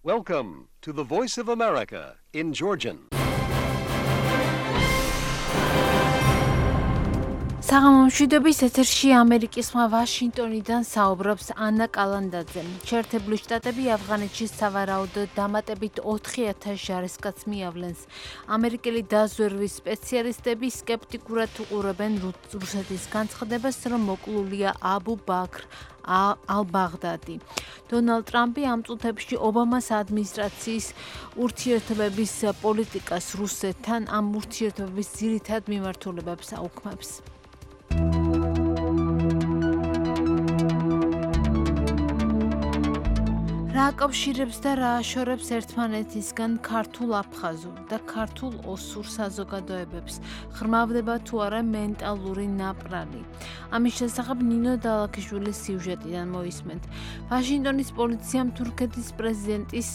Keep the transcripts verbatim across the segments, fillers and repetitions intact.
Welcome to the Voice of America in Georgian. საღამომშვიდობის ეთერში ამერიკის ხმა ვაშინგტონიდან საუბრობს ანა კალანდაძე. შეერთებული შტატები ავღანეთში სავარაუდოდ დამატებით ოთხი ათას ჯარისკაცს მიავლენს. ამერიკელი დაზვერვის სპეციალისტები სკეპტიკურად უყურებენ რუსეთის განცხადებას, რომ მოკლულია აბუ ბაქრ ალ-ბაღდადი. დონალდ ტრამპი ამ წუთებში ობამას ადმინისტრაციის ურთიერთობების პოლიტიკას რუსეთთან, ამ ურთიერთობების ძირითად მიმართულებებს აუქმებს. რა აკავშირებს და რა აშორებს ერთმანეთისგან ქართულ აფხაზურ და ქართულ ოსურ საზოგადოებებს? ხრმავდება თუ არა მენტალური ნაპრალი? ამის შესახებ ნინო დალაქიშვილის სიუჟეტიდან მოისმენთ. ვაშინგტონის პოლიციამ თურქეთის პრეზიდენტის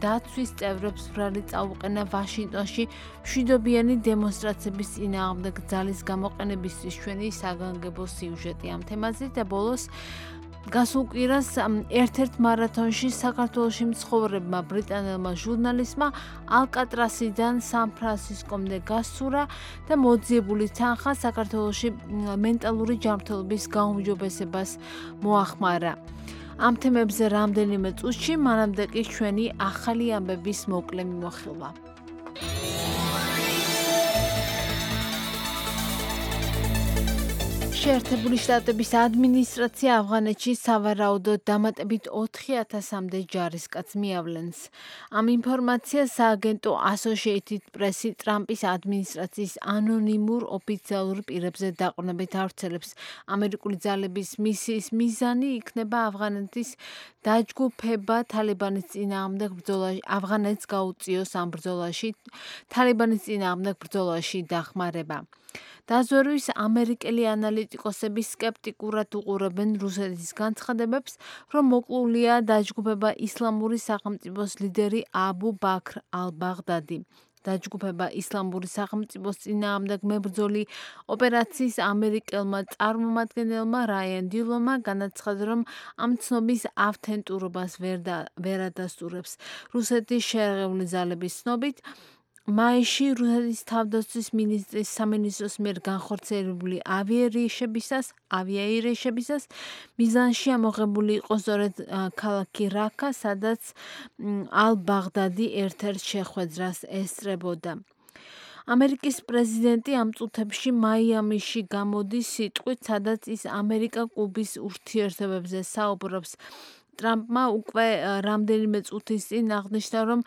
დაცვის წევრებს ბრალი წაუყენა ვაშინგტონში მშვიდობიანი დემონსტრაციების წინააღმდეგ ძალის გამოყენებისთვის. ჩვენი საგანგებო სიუჟეტი ამ თემაზე და ბოლოს გასულ კვირას ერთ-ერთ მარათონში საქართველოში მცხოვრებმა ბრიტანელმა ჟურნალისტმა ალკატრასიდან სან-ფრანცისკომდე გასცურა და მოძიებული თანხა საქართველოში მენტალური ჯანმრთელობის გაუმჯობესებას მოახმარა. ამ თემებზე რამდენიმე წუთში, მანამდე კი ჩვენი ახალი ამბების მოკლე მიმოხილვა. შეერთებული შტატების ადმინისტრაცია ავღანეთში სავარაუდოდ დამატებით ოთხი ათასამდე ჯარისკაცს მიავლენს. ამ ინფორმაციას სააგენტო Associated Press-ი ტრამპის ადმინისტრაციის ანონიმურ ოფიციალურ პირებზე დაყრდნობით ავრცელებს. ამერიკული ძალების მისიის მიზანი იქნება ავღანეთის დაჯგუფება თალიბანის წინააღმდეგ ბრძოლაში, ავღანეთს გაუწიოს ამ ბრძოლაში, თალიბანის წინააღმდეგ ბრძოლაში დახმარება. დაზვერვის ამერიკელი ანალიტიკოსები სკეპტიკურად უყურებენ რუსეთის განცხადებებს, რომ მოკლულია დაჯგუფება ისლამური სახელმწიფოს ლიდერი აბუ ბაქრ ალ-ბაღდადი. დაჯგუფება ისლამური სახელმწიფოს წინააღმდეგ მებრძოლი ოპერაციის ამერიკელმა წარმომადგენელმა რაიან დილონმა განაცხადა, რომ ამ ცნობის ავთენტურობას ვერ ადასტურებს. რუსეთის შერეღებული ძალების ცნობით, მაისში რუსეთის თავდაცვის მინისტრის სამინისტროს მიერ განხორციელებული ავიარეიშებისას, ავიაირეიშებისას მიზანში ამოღებული იყო სწორედ ქალაქი რაკა, სადაც ალ-ბაღდადი ერთ-ერთ შეხვედრას ესწრებოდა. ამერიკის პრეზიდენტი ამ წუთებში მაიამიში გამოდის სიტყვით, სადაც ის ამერიკა-კუბის ურთიერთობებზე საუბრობს. ტრამპმა უკვე რამდენიმე წუთის წინ აღნიშნა, რომ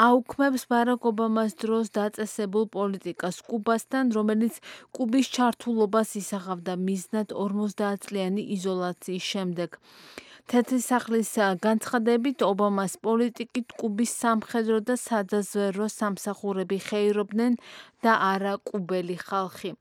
აუქმებს ბარაკ ობამას დროს დაწესებულ პოლიტიკას კუბასთან, რომელიც კუბის ჩართულობას ისახავდა მიზნად ორმოცდაათწლიანი იზოლაციის შემდეგ. თეთრი სახლის განცხადებით, ობამას პოლიტიკით კუბის სამხედრო და სადაზვერვო სამსახურები ხეირობდნენ და არა კუბელი ხალხი.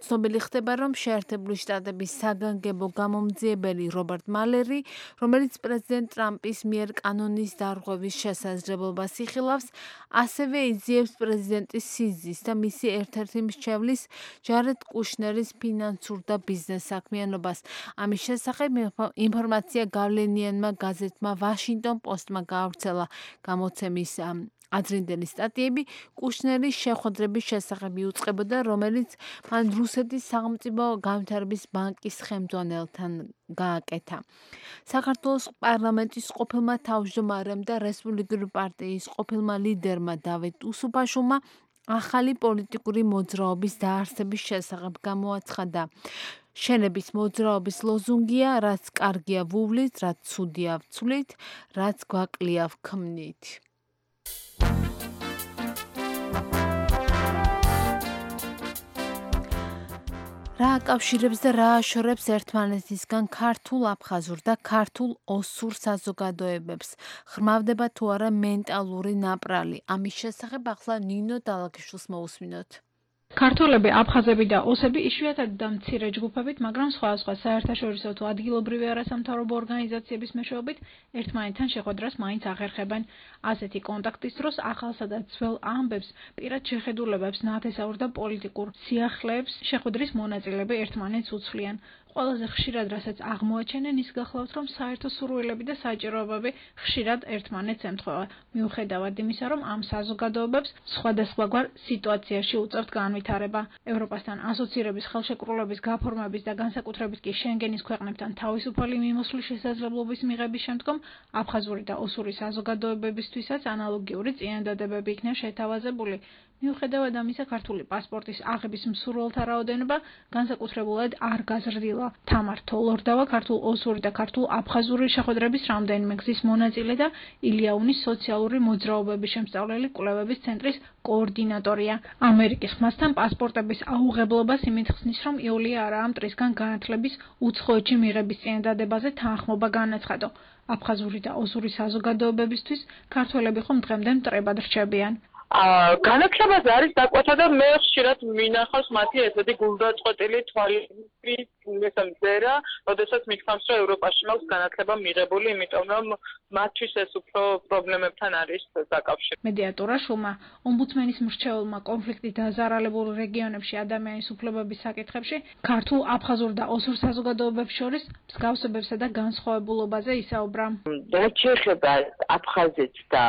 ცნობილი ხდება, რომ შეერთებული შტატების საგანგებო გამომძიებელი რობერტ მალერი, რომელიც პრეზიდენტ ტრამპის მიერ კანონის დარღვევის შესაძლებლობას იხილავს, ასევე იძიებს პრეზიდენტის სიზის და მისი ერთ-ერთი მრჩევლის ჯარედ კუშნერის ფინანსურ და ბიზნეს საქმიანობას. ამის შესახებ ინფორმაცია გავლენიანმა გაზეთმა ვაშინგტონ პოსტმა გაავრცელა. გამოცემის ადრინდელი სტატიები კუშნერის შეხვედრების შესახებ იუწყებოდა, რომელიც მან რუსეთის სახელმწიფო განვითარების ბანკის ხელმძღვანელთან გააკეთა. საქართველოს პარლამენტის ყოფილმა თავმჯდომარემ და რესპუბლიკური პარტიის ყოფილმა ლიდერმა დავით უსუფაშვილმა ახალი პოლიტიკური მოძრაობის დაარსების შესახებ გამოაცხადა. შენების მოძრაობის ლოზუნგია, რაც კარგია ვუვლით, რაც ცუდია ვცვლით, რაც გვაკლია ვქმნით. რა აკავშირებს და რა აშორებს ერთმანეთისგან ქართულ აფხაზურ და ქართულ ოსურ საზოგადოებებს? ხრმავდება თუ არა მენტალური ნაპრალი? ამის შესახებ ახლა ნინო დალაქიშვილს მოусმინოთ. ქართველები, აფხაზები და ოსები იშვიათად და მცირე ჯგუფებით, მაგრამ სხვადასხვა საერთაშორისო თუ ადგილობრივი არასამთავრობო ორგანიზაციების მეშვეობით ერთმანეთთან შეხვედრას მაინც ახერხებენ. ასეთი კონტაქტის დროს ახალსა და ძველ ამბებს, პირად შეხედულებებს, ნათესაურ და პოლიტიკურ სიახლეებს შეხვედრის მონაწილეები ერთმანეთს უცვლიან. ყველაზე ხშირად რასაც აღმოაჩენენ ის გახლავთ, რომ საერთო სურვილები და საჭიროებები ხშირად ერთმანეთს ემთხვევა. მიუხედავად იმისა, რომ ამ საზოგადოებებს სხვადასხვაგვარ სიტუაციაში უწევთ განვითარება. ევროპასთან ასოცირების ხელშეკრულების გაფორმების და განსაკუთრებით კი შენგენის ქვეყნებთან თავისუფალი მიმოსვლის შესაძლებლობის მიღების შემდგომ აფხაზური და ოსური საზოგადოებებისთვისაც ანალოგიური წინადადებები იქნა შეთავაზებული. მიუხედავად ამისა, ქართული პასპორტის აღების მსურველთა რაოდენობა განსაკუთრებულად არ გაზრდილა. თამარ თოლორდავა ქართულ ოსური და ქართულ აფხაზური შეხვედრების რამდენიმე გზის მონაწილე და ილიაუნის სოციალური მოძრაობების შემსწავლელი კვლევების ცენტრის კოორდინატორია. ამერიკის ხმასთან პასპორტების აუღებლობას იმით ხსნის, რომ იულია არაა მტრისგან განათლების უცხოეთში მიღების წინადადებაზე თანხმობა განაცხადო. აფხაზური და ოსური საზოგადოებებისთვის ქართველები ხომ დღემდე მტრებად რჩებიან. განათლებაზე არის დაკვეთა და მე ხშირად მინახავს მათი ესეთი გულდაწყვეტილი თვალები მესამძერა, როდესაც მითქვამს, რომ ევროპაში მაქვს განათლება მიღებული, იმიტომ რომ მათთვის ეს უფრო პრობლემებთან არის დაკავშირებული. მედიატორა შუმა ომბუდსმენის მრჩეველმა კონფლიქტით დაზარალებულ რეგიონებში ადამიანის უფლებების საკითხებში ქართულ, აფხაზურ და ოსურ საზოგადოებებს შორის მსგავსებებსა და განსხვავებულობაზე ისაუბრა. რაც შეეხება აფხაზეთს და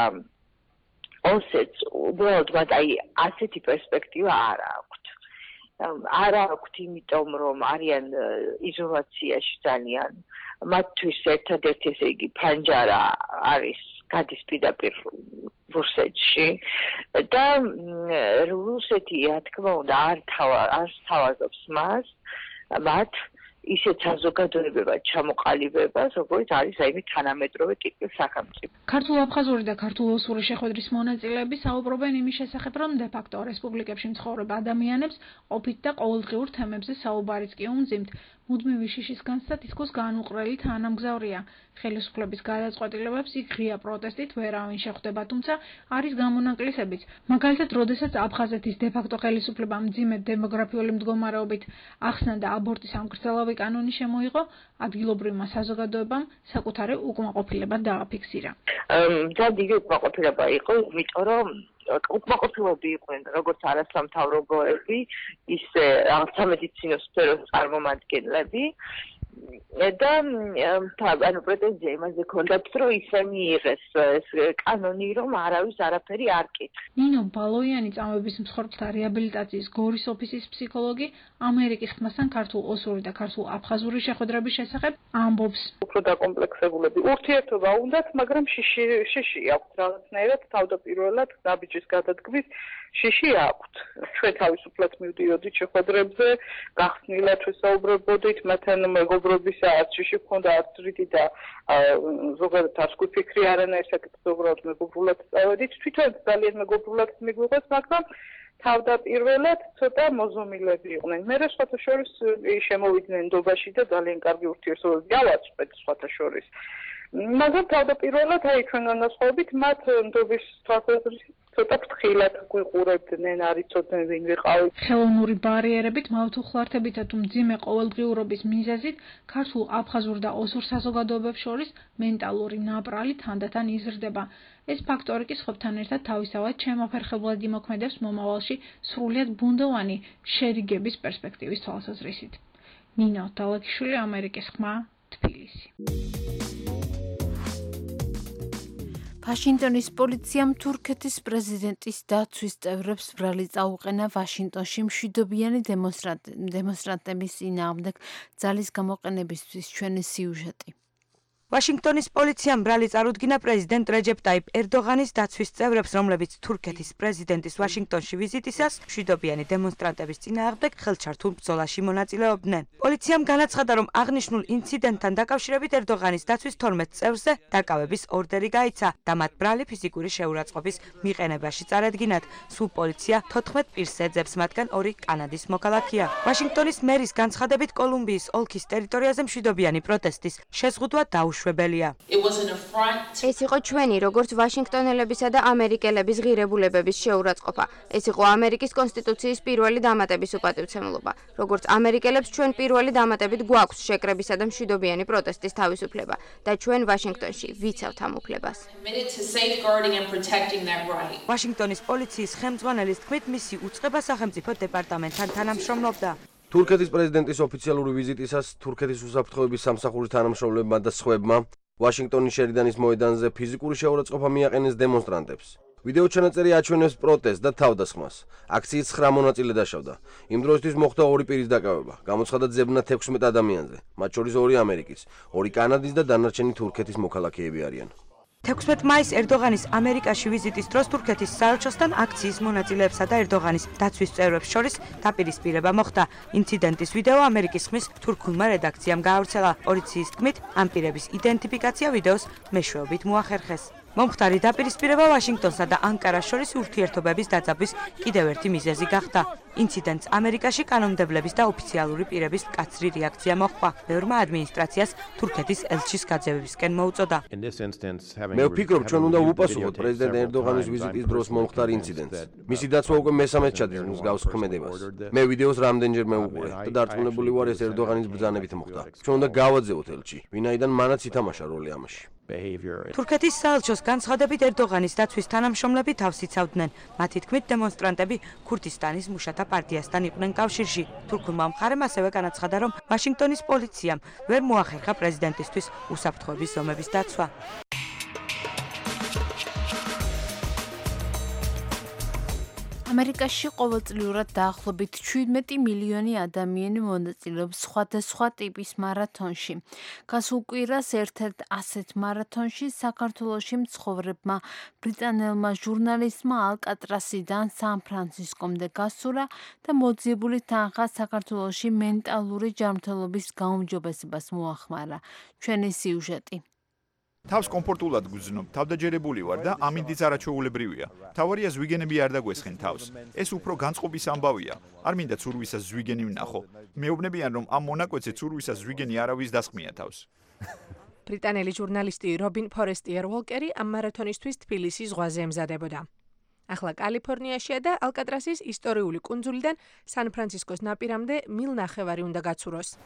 ოსეთს უბრალოდ მათ აი ასეთი პერსპექტივა არ აქვთ. არ აქვთ, იმიტომ რომ არიან იზოლაციაში ძალიან. მათთვის ერთადერთი ესე იგი ფანჯარა არის გადის პირდაპირ რუსეთში და რუსეთი, რა თქმა უნდა, არ არ თავაზობს მას, მათ ისეთ საზოგადოებებად ჩამოყალიბებას, როგორც არის აი თანამედროვე ტიპის სახელმწიფო. ქართულ-აფხაზური და ქართულ-ოსური შეხვედრის მონაწილეები საუბრობენ იმის შესახებ, რომ დე-ფაქტო რესპუბლიკებში მცხოვრებ ადამიანებს ყოფით და ყოველდღიურ თემებზე საუბარიც კი უმძიმთ. მუდმივი შიშის განცდა თითქოს განუყრელი თანამგზავრია. ხელისუფლების გადაწყვეტილებებს იქ ღია პროტესტით ვერავინ შეხვდება, თუმცა არის გამონაკლისებიც. მაგალითად, როდესაც აფხაზეთის დე-ფაქტო ხელისუფლება მძიმე დემოგრაფიული მდგომარეობით ახსნა და აბორტის ამგრძელავი კანონი შემოიღო, ადგილობრივმა საზოგადოებამ საკუთარი უკმაყოფილება დააფიქსირა. ძალიან დიდი უკმაყოფილება იყო, იმიტომ რომ უკმაყოფილები იყვნენ როგორც არასამთავრობოები, ისე რაღაც სამედიცინო სფეროს წარმომადგენლები და ანუ პრეტენზია იმაზე ჰქონდათ, რომ ისე მიიღეს ეს კანონი, რომ არავის არაფერი არ კითხს. ნინო ბალოიანი წამების მსხვერპლთა რეაბილიტაციის გორის ოფისის ფსიქოლოგი ამერიკის ხმასთან ქართულ ოსური და ქართულ აფხაზური შეხვედრების შესახებ ამბობს. უფრო დაკომპლექსებულები ურთიერთობა უნდათ, მაგრამ შიში შიში აქვთ რაღაცნაირად თავდაპირველად ნაბიჯის გადადგმის შიში აქვთ. ჩვენ თავისუფლად მივდიოდით შეხვედრებზე, გახსნილად ვესაუბრებოდით, მათთან მეგობრობისა არც შიში ჰქონდა, არც რიდი და ზოგადად არც ფიქრი არანაირ საკითხზე უბრალოდ მეგობრულად წავედით. თვითონ ძალიან მეგობრულად მიგვიღეს, მაგრამ თავდაპირველად ცოტა მოზომილები იყვნენ. მე სხვათა შორის შემოვიდნენ ნდობაში და ძალიან კარგი ურთიერთობები გავაწყდეთ სხვათა შორის. მაგრამ თავდაპირველად აი ჩვენ განასხვავებით მათ ნდობის თვალსაზრისით ცოტა ფრთხილად გვიყურებდნენ, არ იცოდნენ ვინ ვიყავით. ხელოვნური ბარიერებით, მავთუხლართებითა თუ მძიმე ყოველდღიურობის მიზეზით ქართულ, აფხაზურ და ოსურ საზოგადოებებს შორის მენტალური ნაპრალი თანდათან იზრდება. ეს ფაქტორი კი სხვებთან ერთად თავისთავად შემოფერხებლად იმოქმედებს მომავალში სრულიად ბუნდოვანი შერიგების პერსპექტივის თვალსაზრისით. ნინო დალაკიშვილი, ამერიკის ხმა, თბილისი. ვაშინგტონის პოლიციამ თურქეთის პრეზიდენტის დაცვის წევრებს ბრალი წაუყენა ვაშინგტონში მშვიდობიანი დემონსტრანტების წინააღმდეგ ძალის გამოყენებისთვის. ჩვენი სიუჟეტი. ვაშინგტონის პოლიციამ ბრალი წარუდგინა პრეზიდენტ რეჯეპ ტაიპ ერდოღანის დაცვის წევრებს, რომლებიც თურქეთის პრეზიდენტის ვაშინგტონში ვიზიტისას მშვიდობიანი დემონსტრანტების წინააღმდეგ ხელჩართულ ბრძოლაში მონაწილეობდნენ. პოლიციამ განაცხადა, რომ აღნიშნულ ინციდენტთან დაკავშირებით ერდოღანის დაცვის თორმეტ წევრზე დაკავების ორდერი გაიცა და მათ ბრალი ფიზიკური შეურაცხყოფის მიყენებაში წარადგინათ. სულ პოლიცია თოთხმეტ პირს ეძებს, მათგან ორი კანადის მოქალაქეა. ვაშინგტონის მერის განცხადებით, კოლუმბიის ოლქის ტერიტორიაზე მშვიდობიანი პროტესტის შეზღუდვა დაუშვებელია. ეს იყო ჩვენი, როგორც ვაშინგტონელებისა და ამერიკელების ღირებულებების შეურაცხყოფა. ეს იყო ამერიკის კონსტიტუციის პირველი დამატების უპატივცემულობა. როგორც ამერიკელებს ჩვენ პირველი დამატებით გვაქვს შეკრებისა და მშვიდობიანი პროტესტის თავისუფლება და ჩვენ ვაშინგტონში ვიცავთ ამ უფლებას. ვაშინგტონის პოლიციის ხელმძღვანელის თქმით, მისი უწყება სახელმწიფო დეპარტამენტთან თანამშრომლობდა. თურქეთის პრეზიდენტის ოფიციალური ვიზიტისას თურქეთის უსაფრთხოების სამსახურის თანამშრომლებმა და სხვებმა ვაშინგტონის შერიდანის მოედანზე ფიზიკური შეურაცხყოფა მიაყენეს დემონსტრანტებს. ვიდეო ჩანაწერი აჩვენებს პროტესტს და თავდასხმას. აქციის ცხრა მონაწილე დაშავდა. იმ დროისთვის მოხდა ორი პირის დაკავება. გამოცხადა ძებნა თექვსმეტ ადამიანზე, მათ შორის ორი ამერიკის, ორი კანადის და დანარჩენი თურქეთის მოქალაქეები არიან. თექვსმეტ მაისს ერდოღანის ამერიკაში ვიზიტის დროს თურქეთის საელჩოსთან აქციის მონაწილეებსა და ერდოღანის დაცვის წევრებს შორის დაპირისპირება მოხდა. ინციდენტის ვიდეო ამერიკის ხმის თურქულმა რედაქციამ გაავრცელა. პოლიციის თქმით, ამ პირების იდენტიფიკაცია ვიდეოს მეშვეობით მოახერხეს. მომხდარი დაპირისპირება ვაშინგტონსა და ანკარას შორის ურთიერთობების დაძაბვის კიდევ ერთი მიზეზი გახდა. ინციდენტს ამერიკაში კანონმდებლების და ოფიციალური პირების მკაცრი რეაქცია მოჰყვა. ბევრმა ადმინისტრაციას თურქეთის ელჩის გაძევებისკენ მოუწოდა. მე ვფიქრობ, ჩვენ უნდა ვუპასუხოთ პრეზიდენტ ერდოღანის ვიზიტის დროს მომხდარ ინციდენტს. მისი დაცვა უკვე მესამედ ჩადის მსგავს ქმედებას. მე ვიდეოს რამდენჯერმე ვუყურე და დარწმუნებული ვარ, ეს ერდოღანის ბრძანებით მოხდა. ჩვენ უნდა გავაძევოთ ელჩი, ვინაიდან მანაც ითამაშა როლი ამაში. თურქეთის საელჩოს განცხადებით ერდოღანის დაცვის თანამშრომლები თავს იცავდნენ. მათი თქმით, დემონსტრანტები ქურთისტანის მუშათა პარტიასთან იყვნენ კავშირში. თურქულმა მხარემ ასევე განაცხადა, რომ ვაშინგტონის პოლიციამ ვერ მოახერხა პრეზიდენტისთვის უსაფრთხოების ზომების დაცვა. ამერიკაში ყოველწლიურად დაახლოებით შვიდმეტი მილიონი ადამიანი მონაწილეობს სხვადასხვა ტიპის მარათონში. გასულ კვირას ერთ-ერთ ასეთ მარათონში საქართველოში მცხოვრებმა ბრიტანელმა ჟურნალისტმა ალკატრასიდან სან-ფრანცისკომდე გასურა და მოძიებული თანხა საქართველოში მენტალური ჯანმრთელობის გაუმჯობესებას მოახმარა. ჩვენი სიუჟეტი. თავს კომფორტულად გრძნობ, თავდაჯერებული ვარ და ამინდიც არაჩვეულებრივია. თავარია ზვიგენები არ დაგვესხენ თავს. ეს უფრო განწყობის ამბავია. არ მინდა ცურვისას ზვიგენი ვნახო. მეუბნებიან, რომ ამ მონაკვეთზე ცურვისას ზვიგენი არავის დასხმია თავს. ბრიტანელი ჟურნალისტი რობინ ფორესტიერ უოლკერი ამ მარათონისთვის თბილისის ზღვაზე ემზადებოდა. ახლა კალიფორნიაშია და ალკატრასის ისტორიული კუნძულიდან სან-ფრანცისკოს ნაპირამდე მილ ნახევარი უნდა გაცუროს.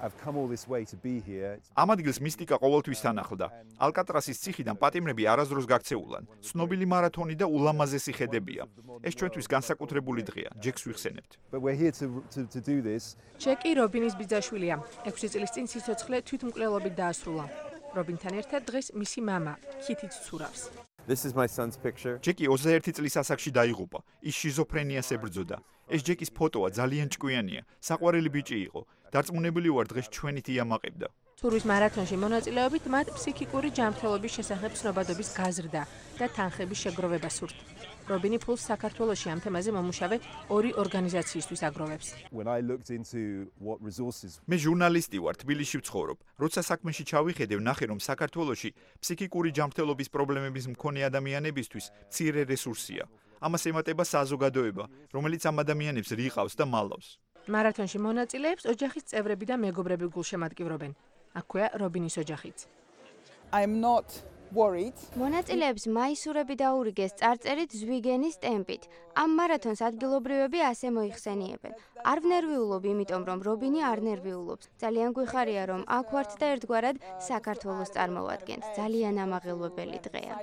ამ ადგილს მისტიკა ყოველთვის თანახლდა. ალკატრასის ციხიდან პატიმრები არასდროს გაქცეულან. ცნობილი მარათონი და ულამაზესი ხედებია. ეს ჩვენთვის განსაკუთრებული დღეა. ჯეკს ვიხსენებთ. ჯეკი რობინის ბიძაშვილია. ექვსი წლის წინ სიცოცხლე თვითმკვლელობით დაასრულა. რობინთან ერთად დღეს მისი მამა, ქითიც ცურავს. This is my son's picture. ჯეკი ოცდაერთი წლის ასაკში დაიღუპა. ის შიზოფრენიას ებრძოდა. ეს ჯეკის ფოტოა ძალიან ჭკვიანია. საყვარელი ბიჭი იყო. დარწმუნებული ვარ, დღეს ჩვენით იამაყებდა. ცურვის მარათონში მონაწილეობით მათ ფსიქიკური ჯანმრთელობის შესახებ ცნობადობის გაზრდა და თანხების შეგროვება სურთ. რობინი ფულს საქართველოში ამ თემაზე მომუშავე ორი ორგანიზაციისთვის აგროვებს. მე ჟურნალისტი ვარ, თბილისში ვცხოვრობ. როცა საქმეში ჩავიხედე, ვნახე, რომ საქართველოში ფსიქიკური ჯანმრთელობის პრობლემების მქონე ადამიანებისთვის მცირე რესურსია. ამას ემატება საზოგადოება, რომელიც ამ ადამიანებს რიყავს და მალავს. მარათონში მონაწილეებს ოჯახის წევრები და მეგობრები გულშემატკივრობენ. აქვეა რობინის ოჯახიც. I'm not worried. მონაწილეებს მაისურები დაურიგეს წარწერით ზვიგენის ტემპით. ამ მარათონს ადგილობრივები ასე მოიხსენიებენ. არ ვნერვიულობ, იმიტომ რომ რობინი არ ნერვიულობს. ძალიან გვიხარია, რომ აქ ვართ და ერთგვარად საქართველოს წარმოვადგენთ. ძალიან ამაღელვებელი დღეა.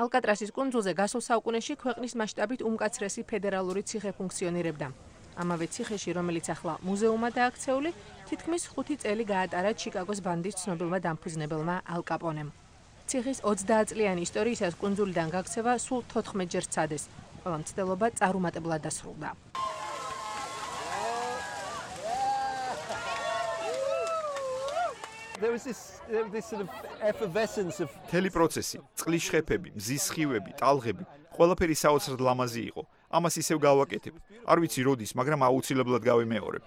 ალკატრასის კუნძულზე გასულ საუკუნეში ქვეყნის მასშტაბით უმკაცრესი ფედერალური ციხე ფუნქციონირებდა. ამავე ციხეში, რომელიც ახლა მუზეუმად დააქცეული, თითქმის ხუთი წელი გაატარა ჩიკაგოს ბანდის ცნობილმა დამფუძნებელმა ალ კაპონემ. ციხის ოცდაათწლიანი ისტორიისას კუნძულიდან გაქცევა სულ თოთხმეტჯერ სცადეს. ყველა მცდელობა წარუმატებლად დასრულდა. There was this this sort of effervescence of თელი პროცესი, წყლის შხეფები, მზის სხივები, ტალღები, ყველაფერი საოცრად ლამაზი იყო. ამას ისევ გავაკეთებ. არ ვიცი როდის, მაგრამ აუცილებლად გავიმეორებ.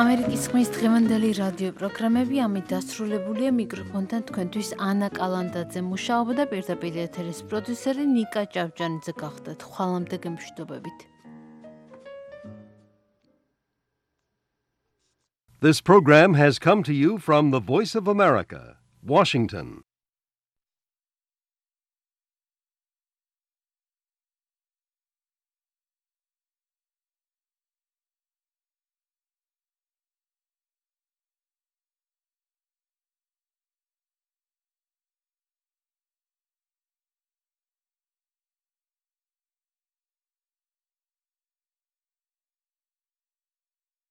ამერიკის ხმის დღევანდელი რადიო პროგრამები ამით დასრულებულია. მიკროფონთან თქვენთვის ანა კალანდაძე მუშაობდა და პირდაპირ ეთერის პროდიუსერი ნიკა ჭავჭანიძე გახდათ. ხვალამდე გემშვიდობებით. This program has come to you from the Voice of America, Washington.